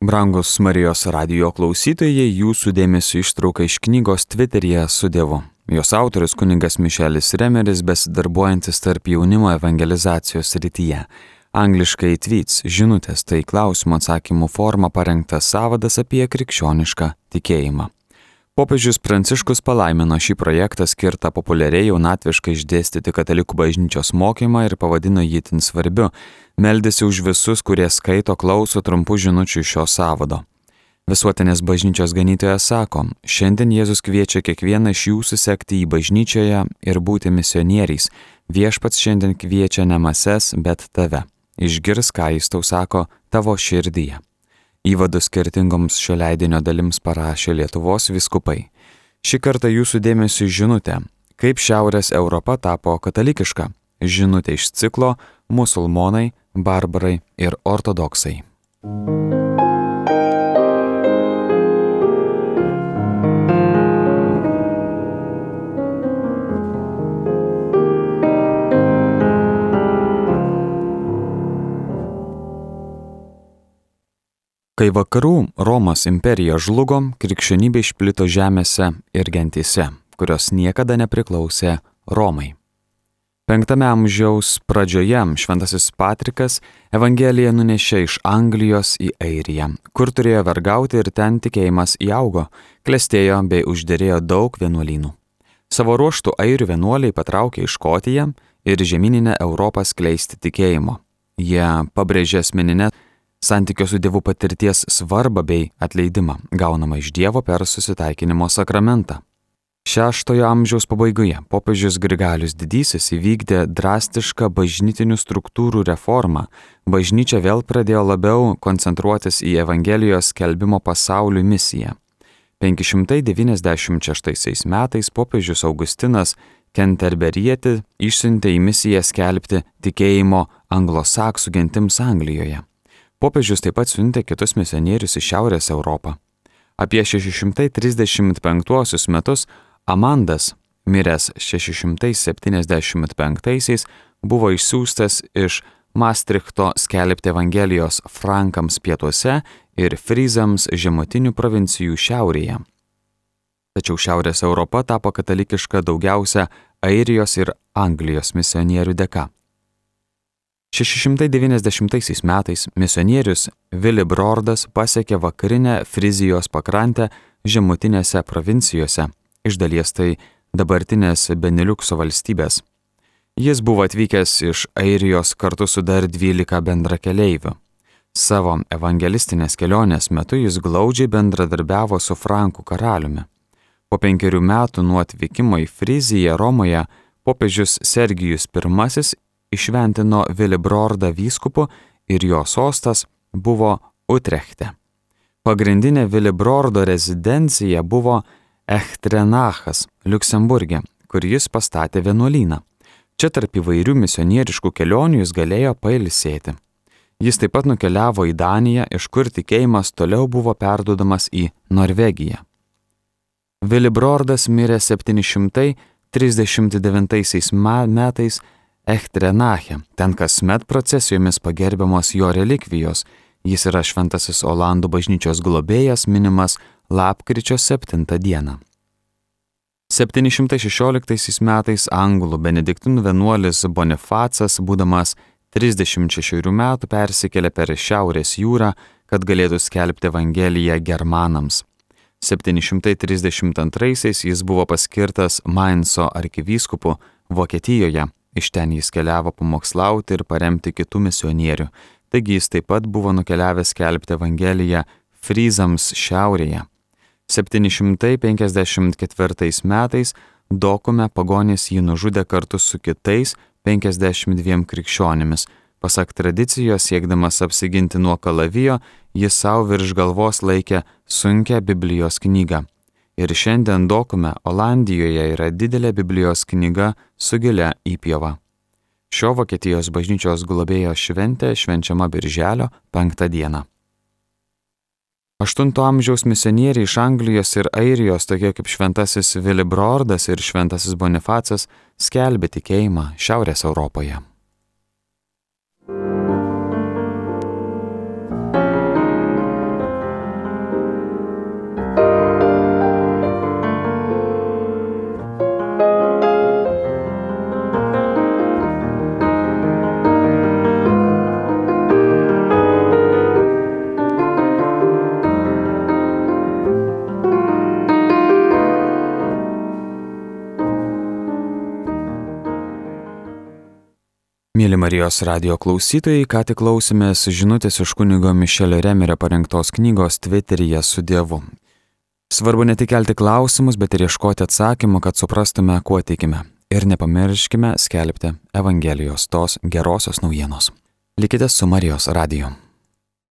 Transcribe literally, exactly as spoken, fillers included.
Brangus Marijos radijo klausytojai, jūsų dėmesio ištrauka iš knygos Tviteryje su Dievu. Jos autorius kunigas Mišelis Remeris, besidarbuojantis tarp jaunimo evangelizacijos srityje. Angliškai tweets, žinutės, tai klausimų atsakymų forma parengtas sąvadas apie krikščionišką tikėjimą. Popiežius Pranciškus palaimino šį projektą skirtą populiariai jaunatviškai išdėstyti katalikų bažnyčios mokymą ir pavadino jį itin svarbiu. Meldėsi už visus, kurie skaito, klauso trumpų žinučių iš šio sąvado. Visuotinės bažnyčios ganytojas sako, šiandien Jėzus kviečia kiekvieną iš jūsų sekti į bažnyčioje ir būti misionieriais. Viešpats šiandien kviečia ne mases, bet tave. Išgirs, ką jis tau sako tavo širdyje. Įvadus skirtingoms šio leidinio dalims parašė Lietuvos vyskupai. Šį kartą jūsų dėmesio žinutė, kaip Šiaurės Europa tapo katalikiška. Žinutė iš ciklo Musulmonai, barbarai ir ortodoksai. Kai vakarų Romos imperija žlugo, krikščionybė išplito žemėse ir gentyse, kurios niekada nepriklausė Romai. Penktame amžiaus pradžioje šventasis Patrikas Evangeliją nunešė iš Anglijos į Airiją, kur turėjo vergauti ir ten tikėjimas įaugo, klestėjo bei užderėjo daug vienuolynų. Savo ruožtų airių vienuoliai patraukė į Škotiją ir žemyninę Europą skleisti tikėjimo. Jie pabrėžė asmeninę santykio su Dievu patirties svarbą bei atleidimą, gaunamą iš Dievo per susitaikinimo sakramentą. Šeštojo amžiaus pabaigoje popiežius Grigalius Didysis įvykdė drastišką bažnytinių struktūrų reformą. Bažnyčia vėl pradėjo labiau koncentruotis į Evangelijos skelbimo pasauliui misiją. penki šimtai devyniasdešimt šeštaisiais metais popiežius Augustinas Kenterberietį išsiuntė į misiją skelbti tikėjimo anglosaksų gentims Anglijoje. Popiežius taip pat siuntė kitus misionierius į Šiaurės Europą. Apie šeši šimtai trisdešimt penktuosius metus Amandas, miręs šeši šimtai septyniasdešimt penktaisiais, buvo išsiųstas iš Maastrichto skelbti Evangelijos frankams pietuose ir fryzams žemutinių provincijų šiaurėje. Tačiau Šiaurės Europa tapo katalikiška daugiausia Airijos ir Anglijos misionierių dėka. šeši šimtai devyniasdešimtaisiais metais misionierius Vilibrordas pasiekė vakarinę Frizijos pakrantę žemutinėse provincijose, iš dalies tai dabartinės Beniliukso valstybės. Jis buvo atvykęs iš Airijos kartu su dar dvylika bendrakeleivių. Savo evangelistinės kelionės metu jis glaudžiai bendradarbiavo su Frankų karaliumi. Po penkerių metų nuo atvykimo į Friziją Romoje popiežius Sergijus pirmasis išventino Vilibrordą vyskupu ir jo sostas buvo Utrechte. Pagrindinė Vilibrordo rezidencija buvo Echtrenachas, Liuksemburge, kur jis pastatė vienuolyną. Čia tarp įvairių misionieriškų kelionių jis galėjo pailsėti. Jis taip pat nukeliavo į Daniją, iš kur tikėjimas toliau buvo perduodamas į Norvegiją. Vilibrordas mirė septyni šimtai trisdešimt devintaisiais metais Echtrenache, ten kasmet procesijomis pagerbiamos jo relikvijos. Jis yra šventasis Olandų bažnyčios globėjas, minimas lapkričio septintą dieną. septyni šimtai šešioliktaisiais metais anglų benediktinų vienuolis Bonifacas, būdamas trisdešimt šešerių metų, persikėlė per Šiaurės jūrą, kad galėtų skelbti Evangeliją germanams. septyni šimtai trisdešimt antraisiais jis buvo paskirtas Mainso arkivyskupu Vokietijoje. Iš ten jis keliavo pamokslauti ir paremti kitų misionierių. Taigi jis taip pat buvo nukeliavęs skelbti Evangeliją fryzams šiaurėje. septyni šimtai penkiasdešimt ketvirtais metais Dokume pagonis jį nužudė kartu su kitais penkiasdešimt dviem krikščionimis. Pasak tradicijos, siekdamas apsiginti nuo kalavijo, jis savo virš galvos laikė sunkią Biblijos knygą. Ir šiandien Dokume, Olandijoje, yra didelė Biblijos knyga su gilia įpjova. Šio Vokietijos bažnyčios globėjo šventė švenčiama birželio penktą dieną. Aštunto amžiaus misionieriai iš Anglijos ir Airijos, tokie kaip šventasis Vilibrordas ir šventasis Bonifacas, skelbė tikėjimą Šiaurės Europoje. Mėly Marijos radijo klausytojai, ką tik klausėmės žinutės iš kunigo Mišelio Remerio parengtos knygos Tviteryje su Dievu. Svarbu ne tik kelti klausimus, bet ir ieškoti atsakymų, kad suprastume, kuo tikime. Ir nepamirškime skelbti Evangelijos, tos gerosios naujienos. Likite su Marijos radiju.